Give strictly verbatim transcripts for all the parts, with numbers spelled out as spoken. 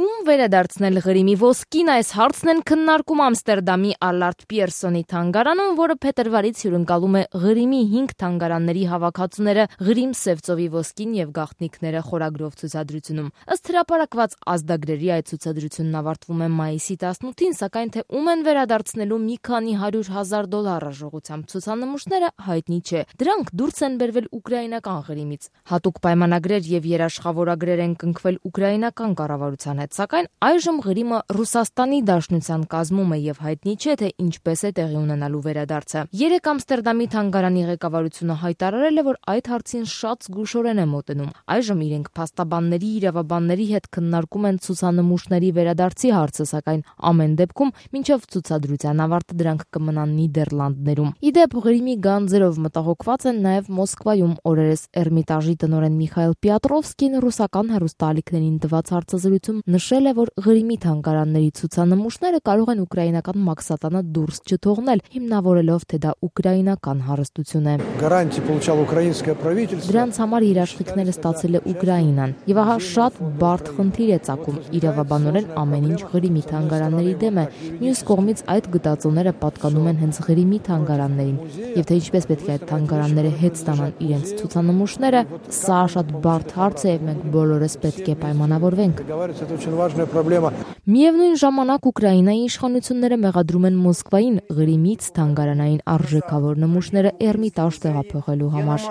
Ում վերադարձնել Ղրիմի ոսկին, այս հարցն են քննարկում Ամստերդամի Ալարտ Պիերսոնի թանգարանում, որը փետրվարից հյուրընկալում է Ղրիմի հինգ թանգարանների հավաքածուները Ղրիմ Սևծովի ոսկին եւ գաղտնիքները խորագրով ցուցադրությունում։ Ըստ հրապարակված ազդագրերի այդ ցուցադրությունն ավարտվում է մայիսի տասնութին, սակայն թե ում են վերադարձնելու մի քանի հարյուր հազար դոլար արժողությամբ ցուցանմուշները հայտնի չէ։ Դրանք դուրս են բերվել ուկրաինական Ղրիմից։ Հատուկ պայմանագրեր եւ երաշխավորագրեր են կնքվել ուկրաինական կառավարության հետ, սակայն այժմ Ղրիմը Ռուսաստանի Դաշնության կազմում է եւ հայտնի չէ, թե ինչպես է տեղի ունենալու վերադարձը։ Երեկ Ամստերդամի թանգարանի ղեկավարությունը հայտարարել է, որ այդ հարցին շատ զգուշորեն է մոտենում։ Այժմ իրենք փաստաբանների, իրավաբանների հետ քննարկում են ցուցանմուշների վերադարձի հարցը, սակայն ամեն դեպքում մինչև ցուցադրության ավարտը դրանք կմնան Նիդերլանդներում։ Իդեպ Ղրիմի գանձերով մտահոգված են նաեւ Մոսկվայում օրերս Էրմիտաժի տնօրեն Միխայել Պիատրովսկին ռուսական հեռուստաալիքներին տված հարցազրույցում նշել է, որ Ղրիմի թանգարանների ցուցանմուշները կարող են ուկրաինական մաքսատանը դուրս չթողնել, հիմնավորելով, թե դա ուկրաինական հարստություն է։ Դրանց համար երաշխիքները ստացել է Ուկրաինան, եւ ահա շատ բարդ խնդիր է ծագում։ Իրավաբանորեն ամեն ինչ Ղրիմի թանգարանների դեմ է, մյուս կողմից այդ գտածոները պատկանում են հենց Ղրիմի թանգարաններին, եւ թե ինչպես պետք է այդ թանգարանները հետ ստանան իրենց ցուցանմուշները, սա շատ բարդ հարց է եւ մենք բոլորս պետք է պայմանավորվենք։ Միևնույն ժամանակ Ուկրաինայի իշխանությունները մեղադրում են Մոսկվային Ղրիմից թանգարանային արժեքավոր նմուշները Էրմիտաժ տեղափոխելու համար։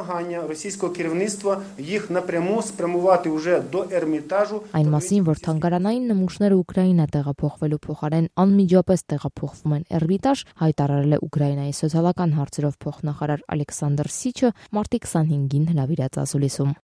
Այն մասին, որ թանգարանային նմուշները Ուկրաինա տեղափոխվելու փոխարեն անմիջապես տեղափոխվում են Էրմիտաժ, հայտարարել է Ուկրաինայի սոցիալական հարցերով փոխնախարար Ալեքսանդր Սիչը մարտի քսանհինգին հրավիրած ասուլիսում։